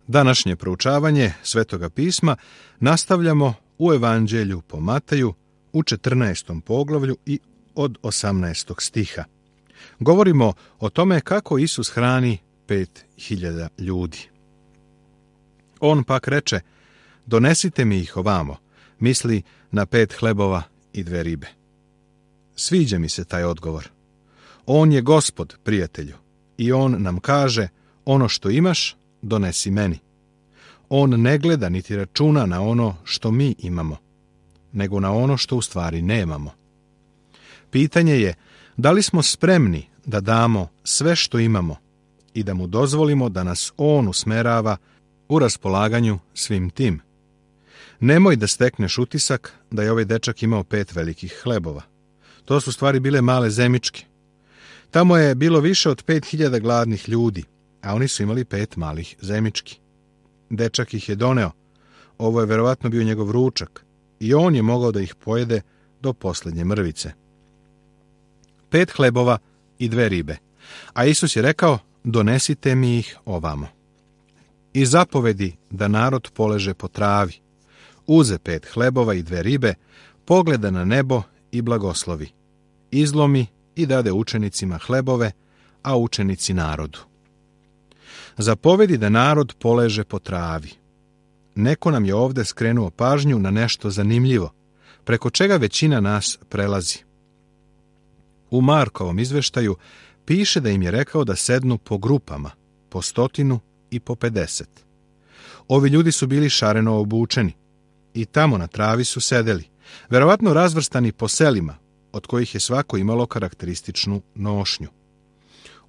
Današnje proučavanje Svetoga pisma nastavljamo u Evanđelju po Mateju u 14. poglavlju i od 18. stiha. Govorimo o tome kako Isus hrani 5.000 ljudi. On pak reče: donesite mi ih ovamo, misli na 5 hlebova i 2 ribe. Sviđa mi se taj odgovor. On je Gospod, prijatelju, i on nam kaže: ono što imaš, donesi meni. On ne gleda niti računa na ono što mi imamo, nego na ono što u stvari nemamo. Pitanje je da li smo spremni da damo sve što imamo i da mu dozvolimo da nas on usmerava u raspolaganju svim tim. Nemoj da stekneš utisak da je ovaj dečak imao 5 velikih hlebova. To su stvari bile male zemičke. Tamo je bilo više od 5.000 gladnih ljudi, a oni su imali 5 malih zemički. Dečak ih je doneo. Ovo je verovatno bio njegov ručak i on je mogao da ih pojede do posljednje mrvice. 5 hlebova i 2 ribe. A Isus je rekao: donesite mi ih ovamo. I zapovedi da narod poleže po travi. Uze 5 hlebova i 2 ribe, pogleda na nebo i blagoslovi. Izlomi i dade učenicima hlebove, a učenici narodu. Zapovedi da narod poleže po travi. Neko nam je ovdje skrenuo pažnju na nešto zanimljivo, preko čega većina nas prelazi. U Markovom izveštaju piše da im je rekao da sednu po grupama, po 100 i po 50. Ovi ljudi su bili šareno obučeni i tamo na travi su sedeli, verovatno razvrstani po selima, od kojih je svako imalo karakterističnu nošnju.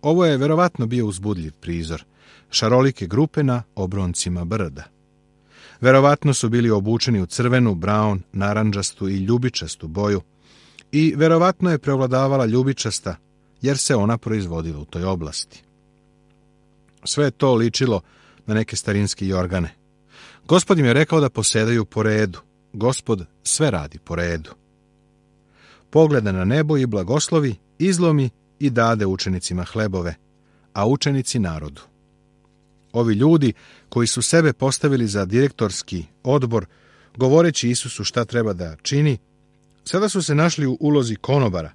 Ovo je verovatno bio uzbudljiv prizor, šarolike grupe na obroncima brda. Verovatno su bili obučeni u crvenu, braun, narandžastu i ljubičastu boju i verovatno je prevladavala ljubičasta, jer se ona proizvodila u toj oblasti. Sve je to ličilo na neke starinske jorgane. Gospod im je rekao da posedaju po redu. Gospod sve radi po redu. Pogleda na nebo i blagoslovi, izlomi i dade učenicima hlebove, a učenici narodu. Ovi ljudi koji su sebe postavili za direktorski odbor, govoreći Isusu šta treba da čini, sada su se našli u ulozi konobara,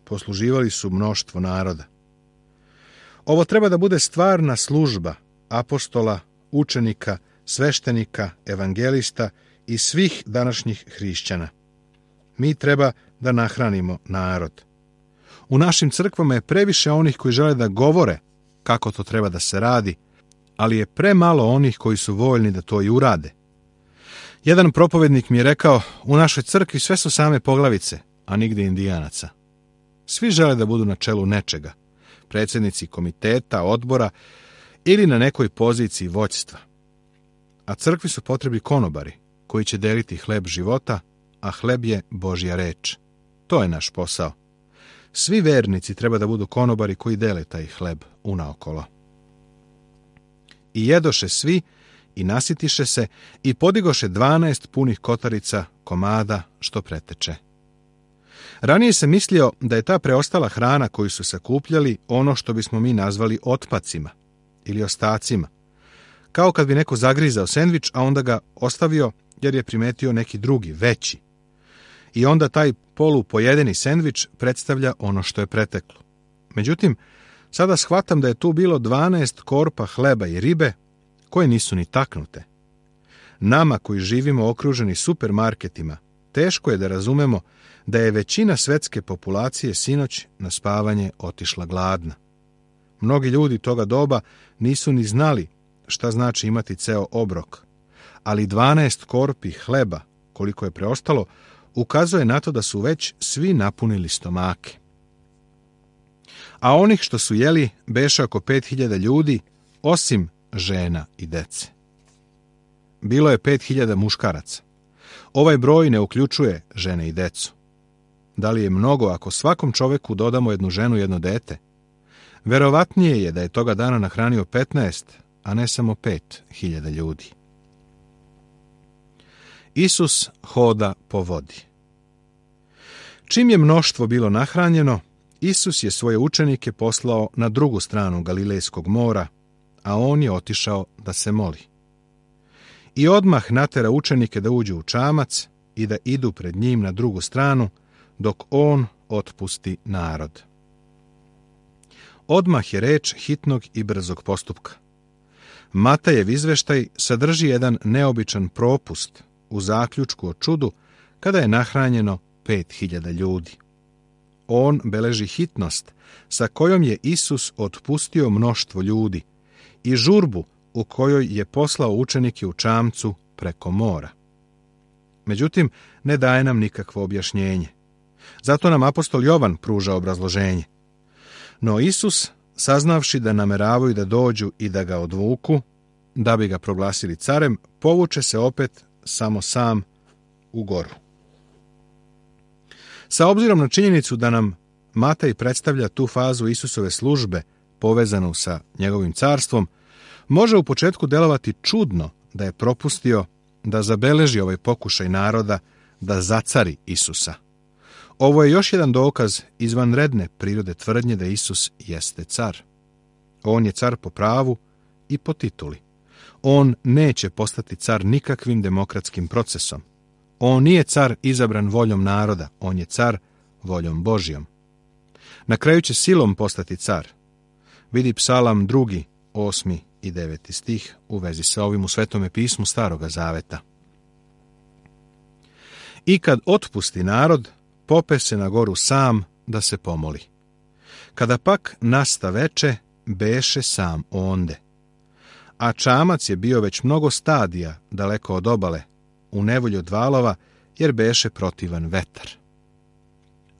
posluživali su mnoštvo naroda. Ovo treba da bude stvarna služba apostola, učenika, sveštenika, evangelista i svih današnjih hrišćana. Mi treba da nahranimo narod. U našim crkvama je previše onih koji žele da govore kako to treba da se radi, ali je premalo onih koji su voljni da to i urade. Jedan propovednik mi je rekao: u našoj crkvi sve su same poglavice, a nigde indijanaca. Svi žele da budu na čelu nečega, predsjednici komiteta, odbora ili na nekoj poziciji vođstva. A crkvi su potrebni konobari koji će deliti hleb života, a hleb je Božja reč. To je naš posao. Svi vernici treba da budu konobari koji dele taj hleb unaokolo. I jedoše svi i nasitiše se i podigoše 12 punih kotarica komada što preteče. Ranije se mislio da je ta preostala hrana koju su sakupljali ono što bismo mi nazvali otpacima ili ostacima. Kao kad bi neko zagrizao sendvič, a onda ga ostavio jer je primetio neki drugi, veći. I onda taj polupojedeni sendvič predstavlja ono što je preteklo. Međutim, sada shvatam da je tu bilo 12 korpa hleba i ribe koje nisu ni taknute. Nama koji živimo okruženi supermarketima, teško je da razumemo da je većina svetske populacije sinoć na spavanje otišla gladna. Mnogi ljudi toga doba nisu ni znali šta znači imati ceo obrok, ali 12 korpi hleba, koliko je preostalo, ukazuje na to da su već svi napunili stomake. A onih što su jeli beše oko 5.000 ljudi, osim žena i dece. Bilo je 5.000 muškaraca. Ovaj broj ne uključuje žene i decu. Da li je mnogo ako svakom čoveku dodamo jednu ženu i jedno dete? Verovatnije je da je toga dana nahranio 15, a ne samo 5.000 ljudi. Isus hoda po vodi. Čim je mnoštvo bilo nahranjeno, Isus je svoje učenike poslao na drugu stranu Galilejskog mora, a on je otišao da se moli. i odmah natera učenike da uđu u čamac i da idu pred njim na drugu stranu, dok on otpusti narod. Odmah je reč hitnog i brzog postupka. Matajev izveštaj sadrži jedan neobičan propust u zaključku o čudu kada je nahranjeno 5.000 ljudi. On beleži hitnost sa kojom je Isus otpustio mnoštvo ljudi i žurbu u kojoj je poslao učenike u čamcu preko mora. Međutim, ne daje nam nikakvo objašnjenje. Zato nam apostol Jovan pruža obrazloženje. No Isus, saznavši da nameravaju da dođu i da ga odvuku, da bi ga proglasili carem, povuče se opet samo sam u goru. Sa obzirom na činjenicu da nam Matej predstavlja tu fazu Isusove službe povezanu sa njegovim carstvom, može u početku delovati čudno da je propustio da zabeleži ovaj pokušaj naroda da zacari Isusa. Ovo je još jedan dokaz izvanredne prirode tvrdnje da Isus jeste car. On je car po pravu i po tituli. On neće postati car nikakvim demokratskim procesom. On nije car izabran voljom naroda, on je car voljom Božjom. Na kraju će silom postati car. Vidi Psalam 2, 8 i 9 stih u vezi sa ovim u Svetome pismu Staroga Zaveta. I kad otpusti narod, pope se na goru sam da se pomoli. Kada pak nasta veče, beše sam onde. A čamac je bio već mnogo stadija daleko od obale, u nevolji od valova, jer beše protivan vetar.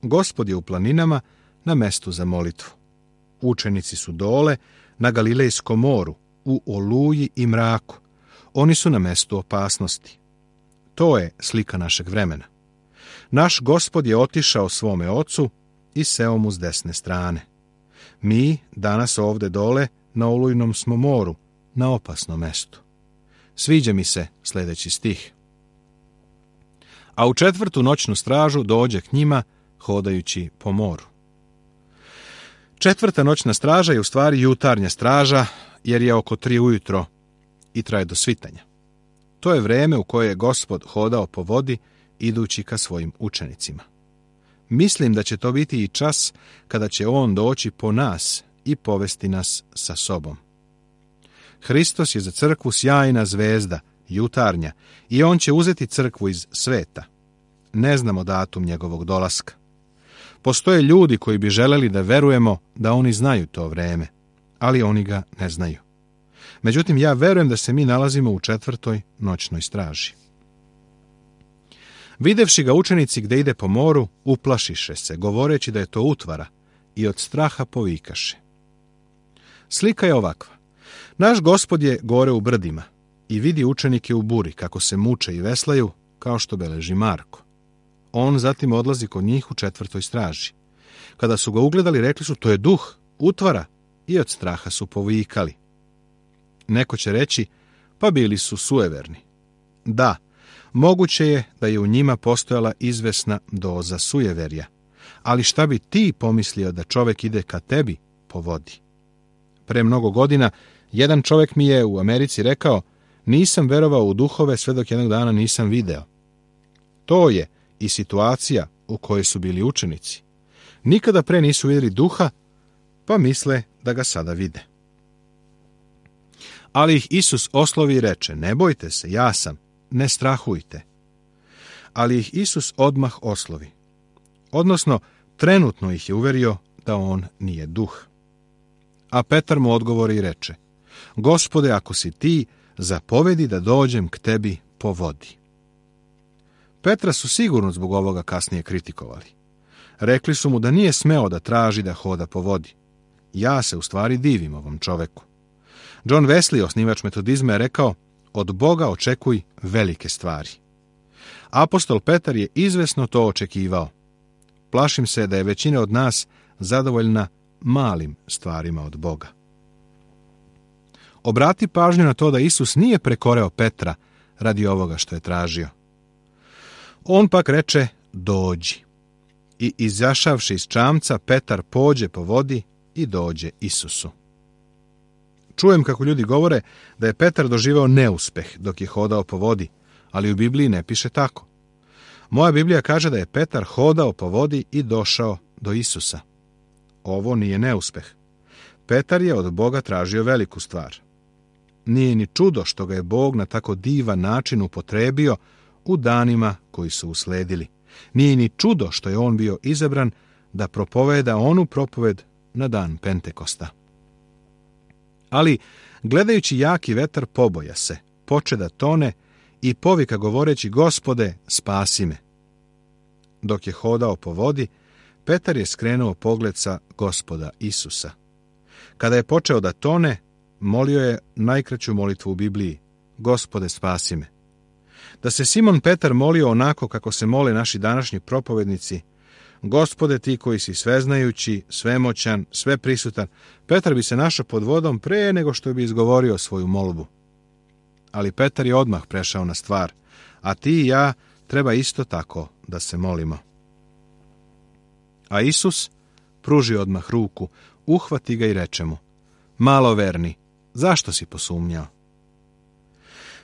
Gospod je u planinama na mestu za molitvu. Učenici su dole na Galilejskom moru, u oluji i mraku. Oni su na mestu opasnosti. To je slika našeg vremena. Naš Gospod je otišao svome ocu i seo mu s desne strane. Mi danas ovde dole na olujnom smo moru, na opasnom mestu. Sviđa mi se sljedeći stih. A u 4. noćnu stražu dođe k njima, hodajući po moru. 4. noćna straža je u stvari jutarnja straža, jer je oko 3 ujutro i traje do svitanja. To je vreme u koje je Gospod hodao po vodi, idući ka svojim učenicima. Mislim da će to biti i čas kada će on doći po nas i povesti nas sa sobom. Hristos je za crkvu sjajna zvezda, jutarnja, i on će uzeti crkvu iz sveta. Ne znamo datum njegovog dolaska. Postoje ljudi koji bi želeli da verujemo da oni znaju to vreme, ali oni ga ne znaju. Međutim, ja verujem da se mi nalazimo u 4. noćnoj straži. Videvši ga učenici gde ide po moru, uplašiše se, govoreći da je to utvara, i od straha povikaše. Slika je ovakva. Naš Gospod je gore u brdima i vidi učenike u buri kako se muče i veslaju, kao što beleži Marko. On zatim odlazi kod njih u 4. straži. Kada su ga ugledali, rekli su, to je duh, utvara, i od straha su povikali. Neko će reći, pa bili su sujeverni. Da, moguće je da je u njima postojala izvesna doza sujeverja, ali šta bi ti pomislio da čovjek ide ka tebi po vodi? Pre mnogo godina jedan čovjek mi je u Americi rekao, nisam verovao u duhove sve dok jednog dana nisam video. To je i situacija u kojoj su bili učenici. Nikada pre nisu vidjeli duha, pa misle da ga sada vide. Ali ih Isus oslovi i reče, ne bojte se, ja sam, ne strahujte. Ali ih Isus odmah oslovi. Odnosno, trenutno ih je uverio da on nije duh. A Petar mu odgovori i reče, Gospode, ako si ti, zapovedi da dođem k tebi po vodi. Petra su sigurno zbog ovoga kasnije kritikovali. Rekli su mu da nije smeo da traži da hoda po vodi. Ja se u stvari divim ovom čoveku. John Wesley, osnivač metodizma, je rekao, od Boga očekuj velike stvari. Apostol Petar je izvesno to očekivao. Plašim se da je većina od nas zadovoljna malim stvarima od Boga. Obrati pažnju na to da Isus nije prekoreo Petra radi ovoga što je tražio. On pak reče, dođi. I izašavši iz čamca, Petar pođe po vodi i dođe Isusu. Čujem kako ljudi govore da je Petar doživeo neuspeh dok je hodao po vodi, ali u Bibliji ne piše tako. Moja Biblija kaže da je Petar hodao po vodi i došao do Isusa. Ovo nije neuspeh. Petar je od Boga tražio veliku stvar. Nije ni čudo što ga je Bog na tako divan način upotrebio u danima koji su usledili. Nije ni čudo što je on bio izabran da propoveda onu propoved na dan Pentekosta. Ali, gledajući jaki vetar, poboja se, poče da tone i povika govoreći: Gospode, spasi me. Dok je hodao po vodi, Petar je skrenuo pogled sa Gospoda Isusa. Kada je počeo da tone, molio je najkraću molitvu u Bibliji: Gospode, spasi me. Da se Simon Petar molio onako kako se mole naši današnji propovednici: Gospode, ti koji si sveznajući, svemoćan, sveprisutan, Petar bi se našao pod vodom pre nego što bi izgovorio svoju molbu. Ali Petar je odmah prešao na stvar, a ti i ja treba isto tako da se molimo. A Isus pruži odmah ruku, uhvati ga i reče mu: Maloverni, zašto si posumnjao?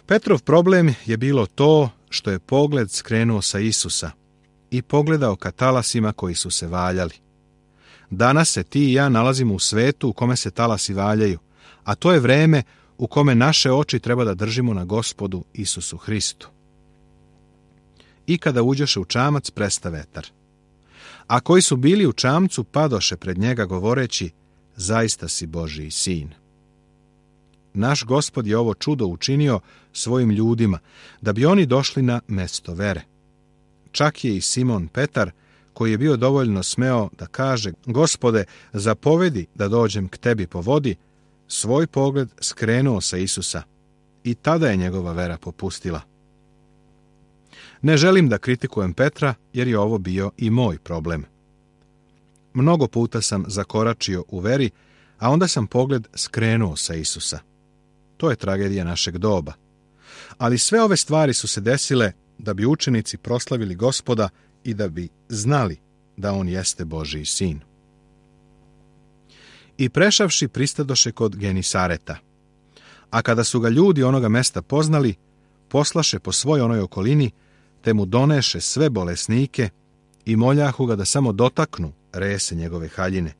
Petrov problem je bilo to što je pogled skrenuo sa Isusa i pogledao ka talasima koji su se valjali. Danas se ti i ja nalazimo u svetu u kome se talasi valjaju, a to je vreme u kome naše oči treba da držimo na Gospodu Isusu Hristu. I kada uđoše u čamac, presta vetar. A koji su bili u čamcu padoše pred njega govoreći: Zaista si Božiji sin. Naš Gospod je ovo čudo učinio svojim ljudima, da bi oni došli na mesto vere. Čak je i Simon Petar, koji je bio dovoljno smeo da kaže: Gospode, zapovedi da dođem k tebi po vodi, svoj pogled skrenuo sa Isusa i tada je njegova vera popustila. Ne želim da kritikujem Petra, jer je ovo bio i moj problem. Mnogo puta sam zakoračio u veri, a onda sam pogled skrenuo sa Isusa. To je tragedija našeg doba. Ali sve ove stvari su se desile da bi učenici proslavili Gospoda i da bi znali da on jeste Božiji sin. I prešavši pristadoše kod Genisareta. A kada su ga ljudi onoga mesta poznali, poslaše po svoj onoj okolini, te mu doneše sve bolesnike i moljahu ga da samo dotaknu rese njegove haljine.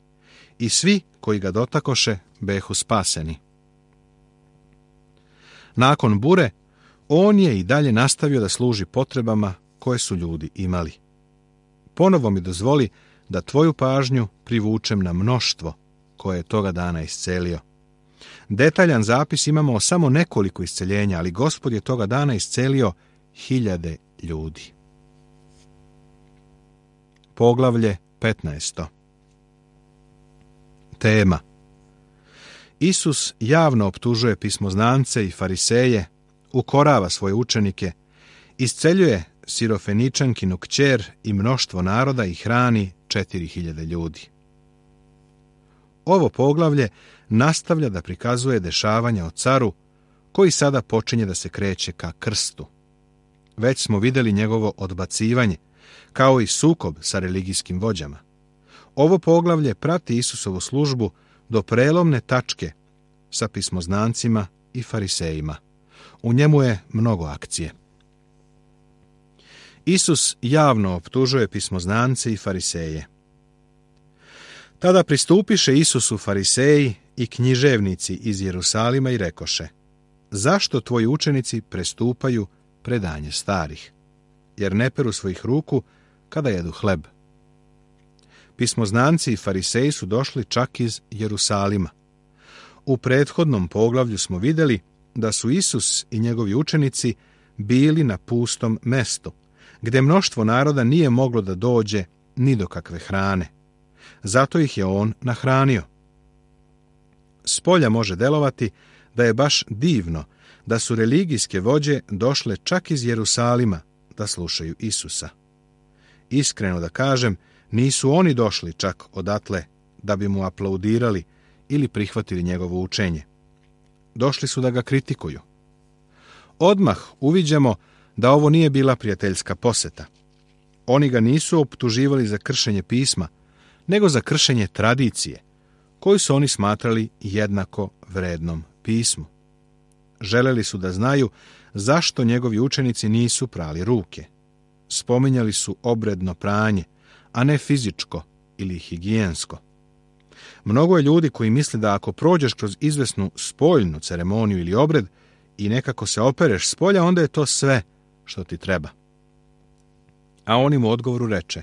I svi koji ga dotakoše behu spaseni. Nakon bure, on je i dalje nastavio da služi potrebama koje su ljudi imali. Ponovo mi dozvoli da tvoju pažnju privučem na mnoštvo koje je toga dana iscelio. Detaljan zapis imamo o samo nekoliko isceljenja, ali Gospod je toga dana iscelio 1000 ljudi. Poglavlje 15. Tema: Isus javno optužuje pismoznance i fariseje, ukorava svoje učenike, isceljuje Sirofeničankinu kćer i mnoštvo naroda i hrani 4000 ljudi. Ovo poglavlje nastavlja da prikazuje dešavanja o caru, koji sada počinje da se kreće ka krstu. Već smo vidjeli njegovo odbacivanje, kao i sukob sa religijskim vođama. Ovo poglavlje prati Isusovu službu do prelomne tačke sa pismoznancima i farisejima. U njemu je mnogo akcije. Isus javno optužuje pismoznance i fariseje. Tada pristupiše Isusu fariseji i književnici iz Jerusalima i rekoše: Zašto tvoji učenici prestupaju predanje starih, jer ne peru svojih ruku kada jedu hleb? Pismoznanci i fariseji su došli čak iz Jerusalima. U prethodnom poglavlju smo vidjeli da su Isus i njegovi učenici bili na pustom mestu, gdje mnoštvo naroda nije moglo da dođe ni do kakve hrane. Zato ih je on nahranio. Spolja može delovati da je baš divno da su religijske vođe došle čak iz Jerusalima da slušaju Isusa. Iskreno da kažem, nisu oni došli čak odatle da bi mu aplaudirali ili prihvatili njegovo učenje. Došli su da ga kritikuju. Odmah uviđamo da ovo nije bila prijateljska poseta. Oni ga nisu optuživali za kršenje pisma, nego za kršenje tradicije, koju su oni smatrali jednako vrednom pismu. Želeli su da znaju zašto njegovi učenici nisu prali ruke. Spominjali su obredno pranje, a ne fizičko ili higijensko. Mnogo je ljudi koji misle da ako prođeš kroz izvesnu spoljnu ceremoniju ili obred i nekako se opereš s polja, onda je to sve što ti treba. A on im u odgovoru reče: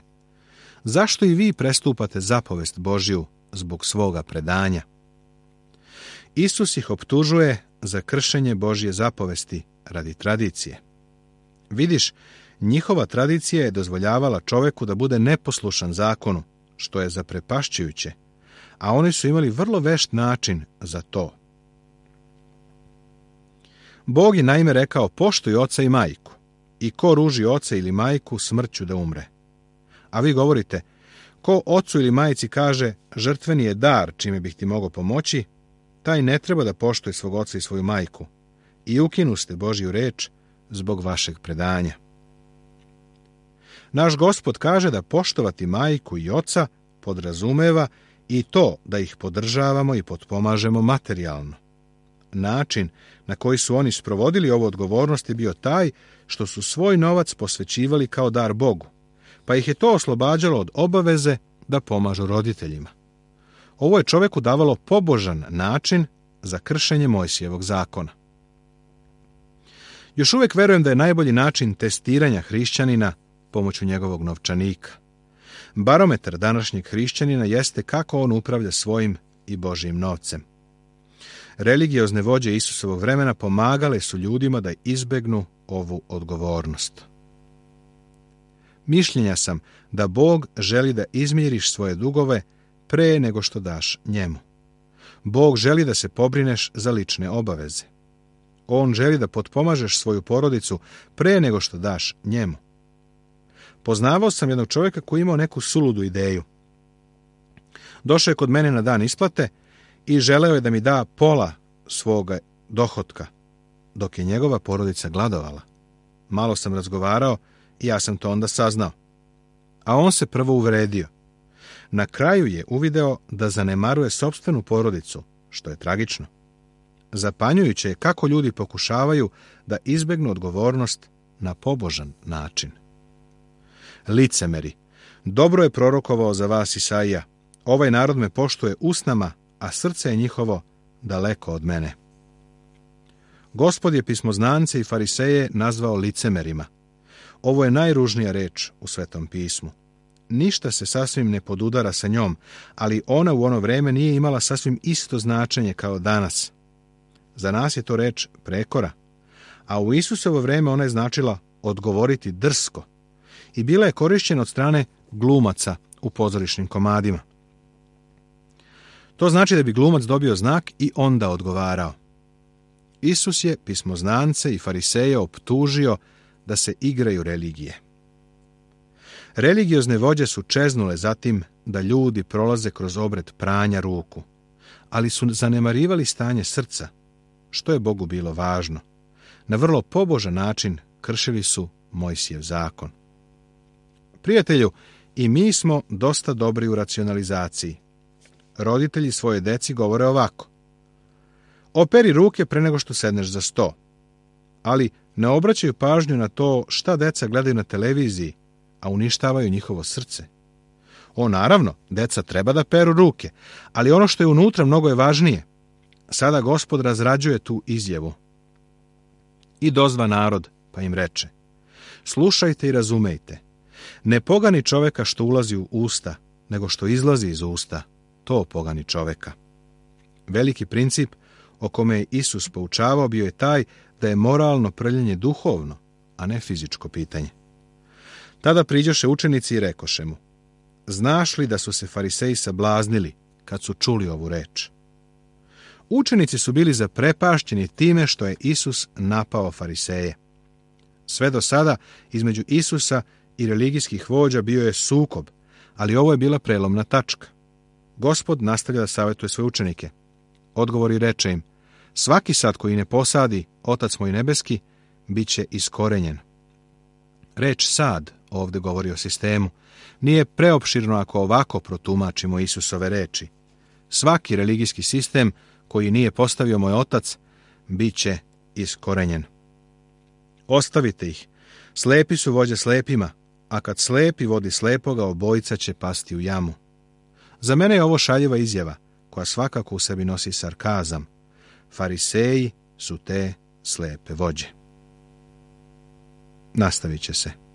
zašto i vi prestupate zapovest Božju zbog svoga predanja? Isus ih optužuje za kršenje Božje zapovesti radi tradicije. Vidiš, njihova tradicija je dozvoljavala čoveku da bude neposlušan zakonu, što je zaprepašćujuće, a oni su imali vrlo vešt način za to. Bog je naime rekao: poštuj oca i majku, i ko ruži oca ili majku, smrću da umre. A vi govorite: ko ocu ili majci kaže žrtveni je dar čime bih ti mogao pomoći, taj ne treba da poštuje svog oca i svoju majku, i ukinuste Božju reč zbog vašeg predanja. Naš Gospod kaže da poštovati majku i oca podrazumeva i to da ih podržavamo i potpomažemo materijalno. Način na koji su oni sprovodili ovu odgovornost je bio taj što su svoj novac posvećivali kao dar Bogu, pa ih je to oslobađalo od obaveze da pomažu roditeljima. Ovo je čoveku davalo pobožan način za kršenje Mojsijevog zakona. Još uvijek verujem da je najbolji način testiranja hrišćanina pomoću njegovog novčanika. Barometar današnjeg hrišćanina jeste kako on upravlja svojim i Božjim novcem. Religiozne vođe Isusovog vremena pomagale su ljudima da izbegnu ovu odgovornost. Mišljenja sam da Bog želi da izmiriš svoje dugove pre nego što daš njemu. Bog želi da se pobrineš za lične obaveze. On želi da potpomažeš svoju porodicu pre nego što daš njemu. Poznavao sam jednog čovjeka koji imao neku suludu ideju. Došao je kod mene na dan isplate i želeo je da mi da pola svoga dohotka, dok je njegova porodica gladovala. Malo sam razgovarao i ja sam to onda saznao. A on se prvo uvredio. Na kraju je uvideo da zanemaruje sopstvenu porodicu, što je tragično. Zapanjujuće je kako ljudi pokušavaju da izbegnu odgovornost na pobožan način. Licemeri, dobro je prorokovao za vas Isaija: ovaj narod me poštuje usnama, a srce je njihovo daleko od mene. Gospod je pismoznance i fariseje nazvao licemerima. Ovo je najružnija reč u Svetom pismu. Ništa se sasvim ne podudara sa njom, ali ona u ono vreme nije imala sasvim isto značenje kao danas. Za nas je to reč prekora, a u Isusovo vreme ona je značila odgovoriti drsko i bila je korišćena od strane glumaca u pozorišnim komadima. To znači da bi glumac dobio znak i onda odgovarao. Isus je pismoznance i fariseje optužio da se igraju religije. Religiozne vođe su čeznule zatim da ljudi prolaze kroz obred pranja ruku, ali su zanemarivali stanje srca, što je Bogu bilo važno. Na vrlo pobožan način kršili su Mojsijev zakon. Prijatelju, i mi smo dosta dobri u racionalizaciji. Roditelji svoje deci govore ovako: operi ruke pre nego što sedneš za sto. Ali ne obraćaju pažnju na to šta deca gledaju na televiziji, a uništavaju njihovo srce. Naravno, deca treba da peru ruke, ali ono što je unutra mnogo je važnije. Sada Gospod razrađuje tu izjavu. I dozva narod, pa im reče: slušajte i razumejte. Ne pogani čoveka što ulazi u usta, nego što izlazi iz usta, to pogani čoveka. Veliki princip o kome je Isus poučavao bio je taj da je moralno prljenje duhovno, a ne fizičko pitanje. Tada priđoše učenici i rekoše mu: znaš li da su se fariseji sablaznili kad su čuli ovu reč? Učenici su bili zaprepašćeni time što je Isus napao fariseje. Sve do sada između Isusa i religijskih vođa bio je sukob, ali ovo je bila prelomna tačka. Gospod nastavlja da savjetuje svoje učenike. Odgovori reče im: svaki sad koji ne posadi Otac moj nebeski, bit će iskorenjen. Reč sad ovdje govori o sistemu. Nije preopširno ako ovako protumačimo Isusove reči. Svaki religijski sistem koji nije postavio moj otac, bit će iskorenjen. Ostavite ih. Slepi su vođe slepima, a kad slepi vodi slepoga, obojica će pasti u jamu. Za mene je ovo šaljiva izjava, koja svakako u sebi nosi sarkazam. Fariseji su te slepe vođe. Nastavit će se.